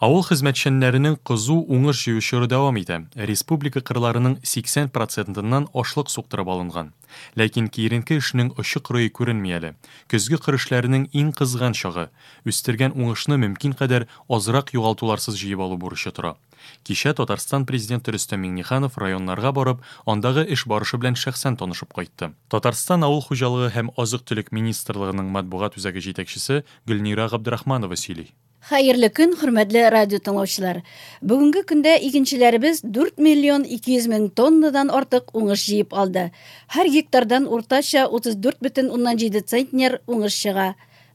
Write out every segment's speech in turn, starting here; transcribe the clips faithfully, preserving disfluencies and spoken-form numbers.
Авыл хезмәтчәннәренең кызу уңыш җыю чоры дәвам итә. Республика кырларының сиксән процентыннан ашлык суктырып алынган. Ләкин киеренке эшнең очы-кырые күренми әле. Көзге кыр эшләренең иң кызган чагы. Үстергән уңышны мөмкин кадәр азрак югалтуларсыз җыеп алу бурычы тора. Кичә Татарстан президенты Рөстәм Миңнеханов районнарга барып, андагы эш барышы белән шәхсән танышып кайтты. Татарстан Авыл хуҗалыгы һәм азык-төлек министрлыгының матбугат үзәге җитәкчесе Гөлнира Габдрахманова сөйли. Хәерле көн, хөрмәтле радио тыңлаучылар. Бүгенге көндә игенчеләребез дүрт миллион ике йөз мең тоннадан артык уңыш җыеп алды. Һәр гектардан уртача утыз дүрт бөтен уннан җиде центнер уңыш чыга.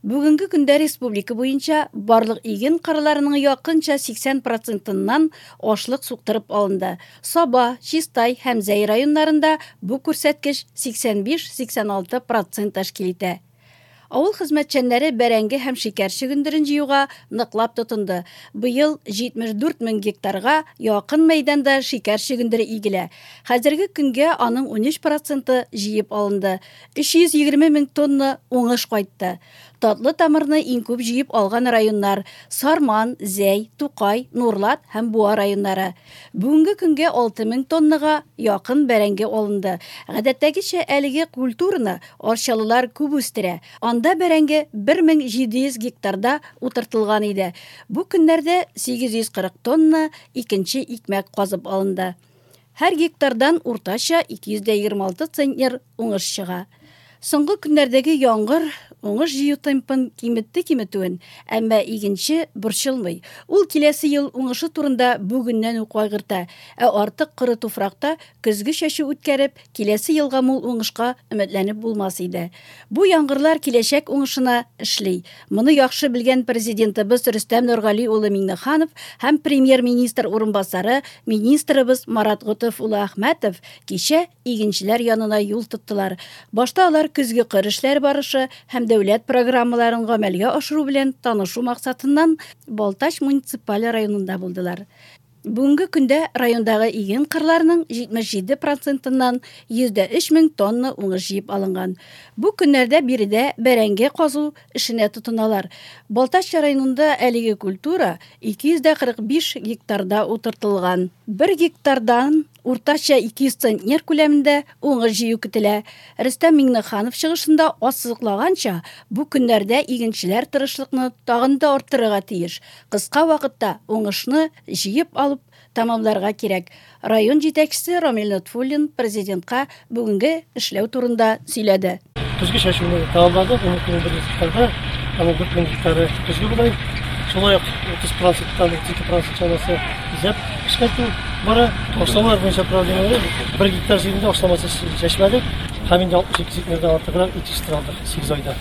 Бүгенге көндә республика буенча барлык иген кырларының якынча сиксән процентыннан ашлык суктырып алынды. Саба, Чистай һәм Зәй районнарында бу күрсәткеч сиксән биш-сиксән алты процент тәшкил итә. Авыл хезмәтчәннәре бәрәңге һәм шикәр чөгендерен җыюга ныклап тотынды. Быел җитмеш дүрт мең гектарга якын мәйданда шикәр чөгендере игелә. Хәзерге көнгә аның унөч проценты җыеп алынды. Өч йөз егерме мең тонна уңыш кайтты. Татлы тамырны иң күп җыеп алган районнар Сарман, Зәй, Тукай, Нурлат һәм Буа районнары. Бүгенге көнгә алты мең тоннага якын бәрәңге алынды. Гадәттәгечә әлеге культураны арчалылар күп үстерә. Анда бәрәңге бер мең җиде йөз гектарда утыртылган иде. Бу көннәрдә сигез йөз кырык тонна икенче икмәк казып алынды. Һәр гектардан уртача ике йөз дә егерме алты центнер уңыш чыга. Соңгы көннәрдәге яңгыр уңыш җыю темпын киметте киметүен, әмма игенче борчылмый. Ул киләсе ел уңышы турында бүгеннән үк кайгырта, ә артык коры туфракта көзге чәчү үткәреп, киләсе елга мул уңышка өметләнеп булмас иде. Бу яңгырлар киләчәк уңышына эшли. Моны яхшы белгән президентыбыз Рөстәм Нургали улы Миңнеханов һәм премьер-министр урынбасары министрыбыз Марат Готыф улы Әхмәтов кичә игенчеләр янына юл тоттылар. Башта алар көзге кыр эшләре барышы һәм дәүләт программаларын гамәлгә ашыру белән танышу максатыннан Балтач муниципаль районында булдылар. Бүгенге көндә райондагы иген кырларының җитмеш җиде процентыннан йөз дә өч мең тонна уңыш җыеп алынган. Бу көннәрдә биредә бәрәңге казу эшенә тотыналар. Балтач районында әлеге культура ике йөз дә кырык биш гектарда утыртылган. Бер гектардан уртача ике йөз центнер күләмендә уңыш җыю көтелә. Рөстәм Миңнеханов чыгышында ассызыклаганча, бу көннәрдә игенчеләр тырышлыкны тагын да арттырырга тиеш. Кыска вакытта уңышны җыеп алып тәмамларга кирәк. Район җитәкчесе Рамил Нотфуллин президентка бүгенге эшләү турында сөйләде. Көзге чәчүне тәмамладык, ун ике мең бер йөз гектарда, аның дүрт мең гектары көзге бодай. Шулай ук утыз проценттан утыз ике процент чамасы исәп эшкәртү бара. Ашламалар буенча проблемалар бер гектар җирендә ашламасыз чәчмәдек һәм инде алтмыш ике центнердән артыграк ит җитештерә алдык сигез айда.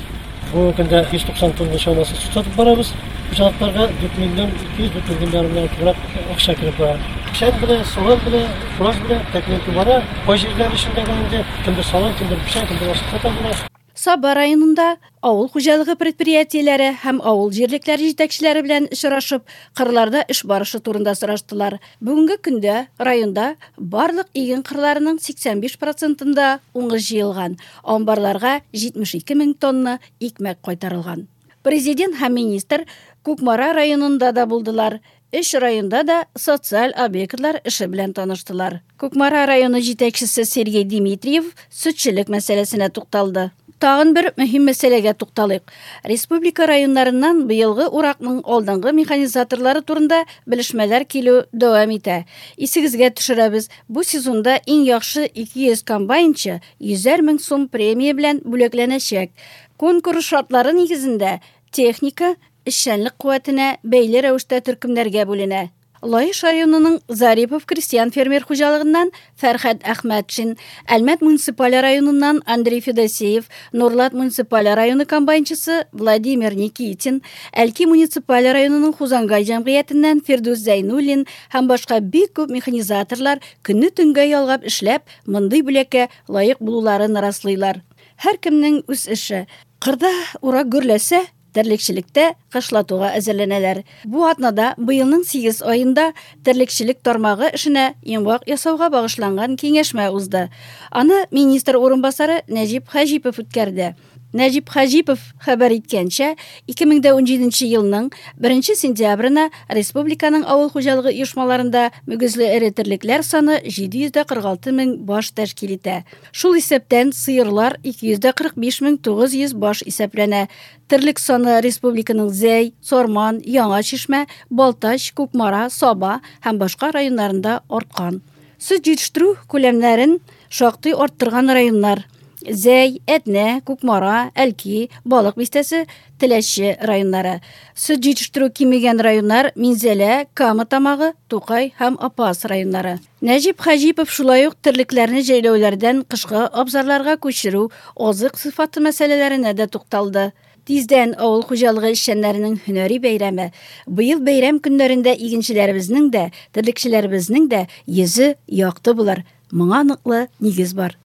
Бүгенге көндә йөз туксан тонна чамасы сөт сатып барабыз. Хуҗалыкларга дүрт миллион ике йөз, дүрт миллион ярымнан артыграк акча кереп бара. Печән белән, салам белән, фураж белән тәэмин итү бара. Пай җирләре эчендә дә инде кемдер салам, кемдер печән, кемдер ашлык сата була. Саба районында авыл хуҗалыгы предприятиеләре һәм авыл җирлекләре җитәкчеләре белән очрашып, кырларда эш барышы турында сораштылар. Бүгенге көндә районда барлык иген кырларының сиксән биш процентында уңыш җыелган, амбарларга җитмеш ике мең тонна икмәк кайтарылган. Президент һәм министр Кукмара районында да булдылар. Өч районда да социаль объектлар эше белән таныштылар. Кукмара районы җитәкчесе Сергей Дмитриев сөтчелек мәсьәләсенә тукталды. Тагын бер мөһим мәсьәләгә тукталыйк. Республика районнарыннан быелгы уракның алдынгы механизаторлары турында белешмәләр килү дәвам итә. Исегезгә төшерәбез, бу сезонда иң яхшы ике йөз комбайнчы йөзәр мең сум премия белән бүләкләнәчәк. Конкурс шартлары нигезендә техника эшчәнлек куәтенә бәйле рәвештә төркемнәргә бүленә. Лаеш районының Зарипов крестьян фермер хуҗалыгыннан Фәрхәт Әхмәтшин, Әлмәт муниципаль районыннан Андрей Федосеев, Нурлат муниципаль районы комбайнчысы Владимир Никитин, Әлки муниципаль районының Хузангай җәмгыятеннән Фирдүс Зәйнуллин һәм башка бик күп механизаторлар көнне төнгә ялгап эшләп, мондый бүләккә лаек булуларын раслыйлар. Һәркемнең үз эше. Кырда урак гөрләсә, терлекчелектә кышлатуга әзерләнәләр. Бу атнада быелның сигез аенда терлекчелек тармагы эшенә йомгак ясауга багышланган киңәшмә узды. Аны министр урынбасары Нәҗип Хаҗипов үткәрде. Нәҗип Хаҗипов хәбәр иткәнчә, ике мең дә унҗиденче елның беренче сентябренә республиканың авыл хуҗалыгы оешмаларында мөгезле эре терлекләр саны җиде йөз дә кырык алты мең баш тәшкил итә. Шул исәптән сыерлар ике йөз дә кырык биш мең тугыз йөз баш исәпләнә. Терлек саны республиканың Зәй, Сарман, Яңа Чишмә, Балтач, Кукмара, Саба һәм башка районнарында арткан. Сөт җитештерү күләмнәрен шактый арттырган районнар: Зәй, Әтнә, Кукмара, Әлки, Балык Бистәсе, Теләче районнары. Сөт җитештерү кимегән районнар Минзәлә, Кама Тамагы, Тукай һәм Апас районнары. Нәҗип Хаҗипов шулай ук терлекләрне җәйләүләрдән кышкы абзарларга күчерү, азык сыйфаты мәсьәләләренә дә тукталды. Тиздән авыл хуҗалыгы эшчәннәренең һөнәри бәйрәме. Быел бәйрәм көннәрендә игенчеләребезнең дә, терлекчеләребезнең дә йөзе якты булыр. Моңа ныклы нигез бар.